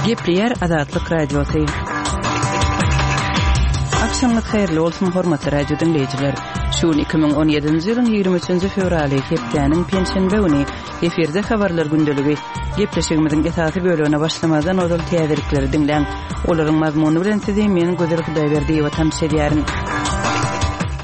Gepleýär Azatlyk Radiosy. Agşamyňyz haýyrly bolsun, hormatly radio diňleýjiler. Şu gün 2017-nji ýylyň 23-nji fewraly, hepdäniň penşenbe güni. Efirde habarlar gündeligi. Gepleşigimiziň esasy bölegine başlamazdan ozal täzelikleri diňläň. Olaryň mazmuny bilen sizi men Gözel Hudaýberdiýewa tanyş edýärin.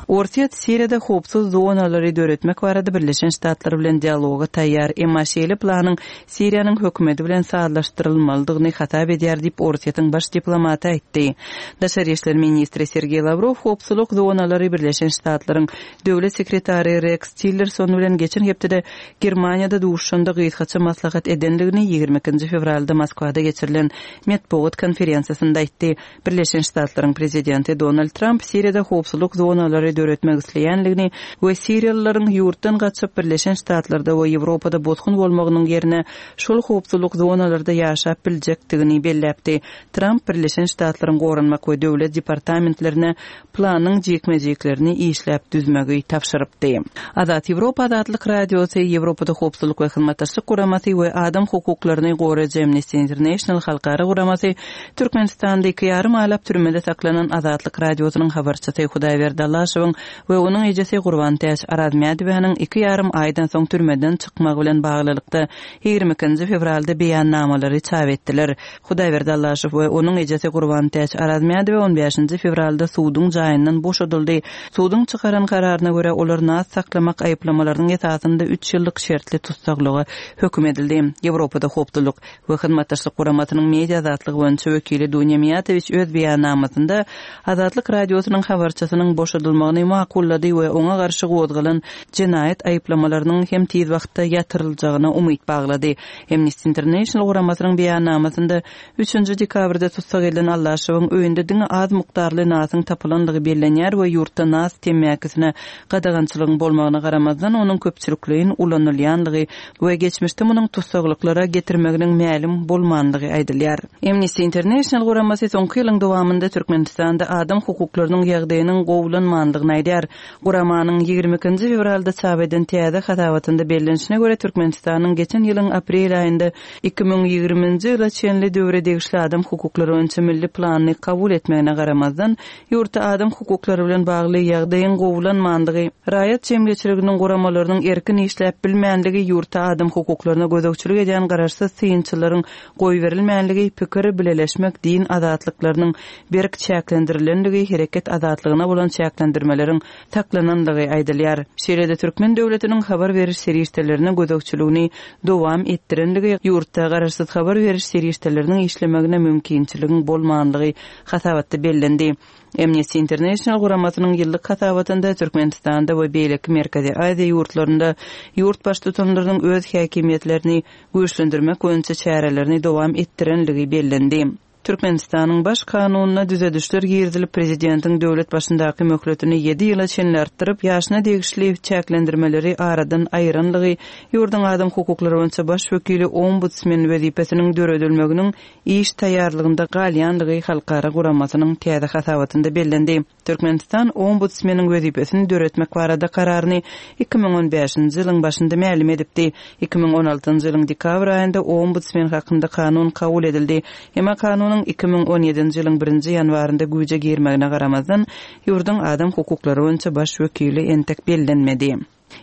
Orsýet Siriýada howpsuz zonalary döretmek barada Birleşen Ştatlar bilen dialoga taýýar, emma şeýle planyň Siriýanyň hökümeti bilen sazlaşdyrylmalydygyny hasap edýär diýip, Orsýetiň baş diplomaty aýtdy. Daşary işler ministri Sergeý Lawrow howpsuzlyk zonalary Birleşen Ştatlaryň Döwlet sekretary Reks Tillerson bilen geçen hepdede Germaniýada duşuşanda gysgaça maslahat edendigini 22 fewralda Moskwada geçirilen metbugat konferensiýasynda aýtdy. Birleşen Ştatlaryň prezidenti Donald Tramp Siriýada howpsuzlyk zonalary döretmek isleýändigini we siriýalylaryň ýurtdan gaçyp Birleşen Ştatlarda we Ýewropada bosgun bolmagynyň ýerine şol howpsuzlyk zonalarda ýaşap biljekdigini belläpdi. Tramp Birleşen Ştatlaryň Goranmak we Döwlet departamentlerine planyň jikme-jiklerini işläp düzmegi tabşyrypdy. Azat Ýewropa Azatlyk Radiosy, Ýewropada Howpsuzlyk we Hyzmatdaşlyk Guramasy we adam hukuklaryny goraýjy Amnesty International halkara guramasy Türkmenistanda iki ýarym aýlap türmede saklanan Azatlyk Radiosynyň habarçysy Hudaýberdi Allaşowyň we onuň ejesi Gurbantäç Arazmädowanyň iki ýarym aýdan soň türmeden çykmagy bilen baglylykda 22-nji fewralda beýannamalary çap etdiler. Hudaýberdi Allaşow we onuň ejesi Gurbantäç Arazmädowa on bäşinji fewralda suduň jaýyndan boşadyldy. Suduň çykaran kararyna görä, olar nas saklamak aýyplamalarynyň esasynda üç ýyllyk şertli tussaglyga höküm edildi. Ýewropada howpsuzlyk we Hyzmatdaşlyk Guramasynyň media azatlygy boýunça wekili Dunýa Miýatowiç öz beýannamasynda Azatlyk Radiosynyň habarçysynyň boşadylmagyny makullady we oňa garşy gozgalan jenaýat aýyplamalarynyň hem tiz wagtda ýatyryljagyna umyt baglady. Amnesty International guramasynyň beýannamasynda üçünji dekabrda tussag edilen Allaşowyň öýünde diňe az mukdarly nasyň tapylandygy bellenýär we ýurtda nas temmäkisine gadagançylygyň bolmagyna garamazdan, onuň köpçülikleýin ulanylýanlygy we geçmişde munuň tussaglyklara getirmeginiň mälim bolmandygy aýdylýar. Amnesty International guramasy soňky ýylyň dowamynda Türkmenistanda adam hukuklarynyň ýagdaýynyň gowulanmandygyny aýdýar. Guramanyň 22-nji fewralda çap eden täze hasabatynda bellenişine görä, Türkmenistanyň geçen ýylyň aprel aýynda 2020-nji ýyla çenli döwre degişli adam hukuklary boýunça milli planyny kabul etmegine garamazdan, ýurtda adam hukuklary bilen bagly ýagdaýyň gowulanmandygy, raýat jemgyýetçiliginiň guramalarynyň erkin işläp bilmänligi, ýurtda adam hukuklaryna gözegçilik edýän garaşsyz synçylaryň goýberilmänligi, pikir bileleşmek, din azatlyklarynyň berk çäklendirilendigi, hereket azatlygyna bolan çäklendirmeleriň saklanandygy aýdylýar. Şeýle-de türkmen döwletiniň habar beriş serişdelerine gözegçiligini dowam etdirendigi, ýurtda garaşsyz habar beriş serişdeleriniň işlemegine mümkinçiligiň bolmanlygy hasabatda bellendi. Amnesty International guramasynyň ýyllyk hasabatynda Türkmenistanda we beýleki Merkezi Aziýa ýurtlarynda ýurt baştutanlarynyň öz häkimiýetlerini güýçlendirmek boýunça çärelerini dowam etdirenligi bellendi. Türkmenistanyň Baş Kanunyna düzedişler girizilip, prezidentiň döwlet başyndaky möhletini ýedi ýyla çenli artdyryp, ýaşyna degişli çäklendirmeleri aradan aýyranlygy, ýurduň adam hukuklary boýunça baş wekili ombudsmen wezipesiniň döredilmeginiň iş taýýarlygynda galýanlygy halkara guramasynyň täze hasabatynda bellendi. Türkmenistan Ombudsmeniň wezipesini döretmek barada kararyny 2015-nji ýylyň başynda mälim edipdi. 2016-njy ýylyň dekabr aýynda Ombudsmen hakynda kanun kabul edildi. Emma kanunyň 2017-nji ýylyň birinji ýanwarynda güýje girmegine garamazdan, ýurduň adam hukuklary boýunça baş wekili entek bellenmedi.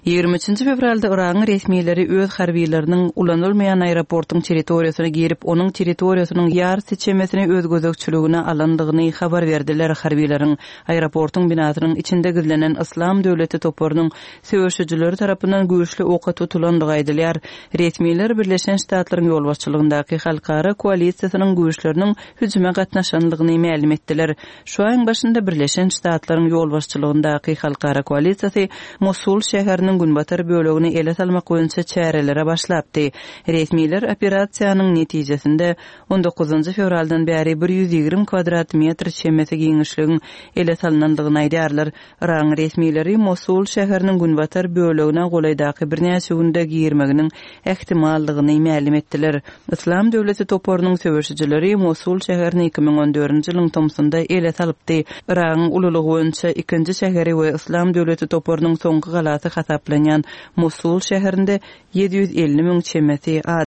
23 fewralda Yragyň resmileri öz harbylarynyň ulanylmaýan aeroportuň territoriýasyna girip, onuň territoriýasynyň ýarysy çemesini öz gözegçiligine alandygyny habar berdiler. Harbylaryň aeroportuň binasynyň içinde gizlenen Yslam döwleti toparynyň söweşijileri tarapyndan güýçli oka tutulandygy aýdylýar. Resmiler Birleşen Ştatlaryň ýolbaşçylygyndaky halkara koalisiýasynyň güýçleriniň hüjüme gatnaşandygyny mälim etdiler. Şu aýyň başynda Birleşen Ştatlaryň ýolbaşçylygyndaky halkara koalisiýasy Mosul şäheriniň günbatar bölegini ele salmak boýunça çärelere başlapdy. Resmiler operasiýanyň netijesinde on dokuzynjy fewraldan bäri 120 kwadrat metr çemesi giňişligiň ele salnandygyny aýdýarlar. Yragyň resmileri Mosul şäheriniň günbatar bölegine golaýdaky birnäçe günde girmeginiň ähtimaldygyny mälim etdiler. Yslam döwleti toparynyň söweşijileri Mosul şäherini 2014-nji ýylyň tomsunda ele salypdy. Yragyň ululygy boýunça ikinji şäheri we Yslam döwleti toparynyň soňky galasy hasaplanýan Mosul şäherinde 750 müň çemesi adam.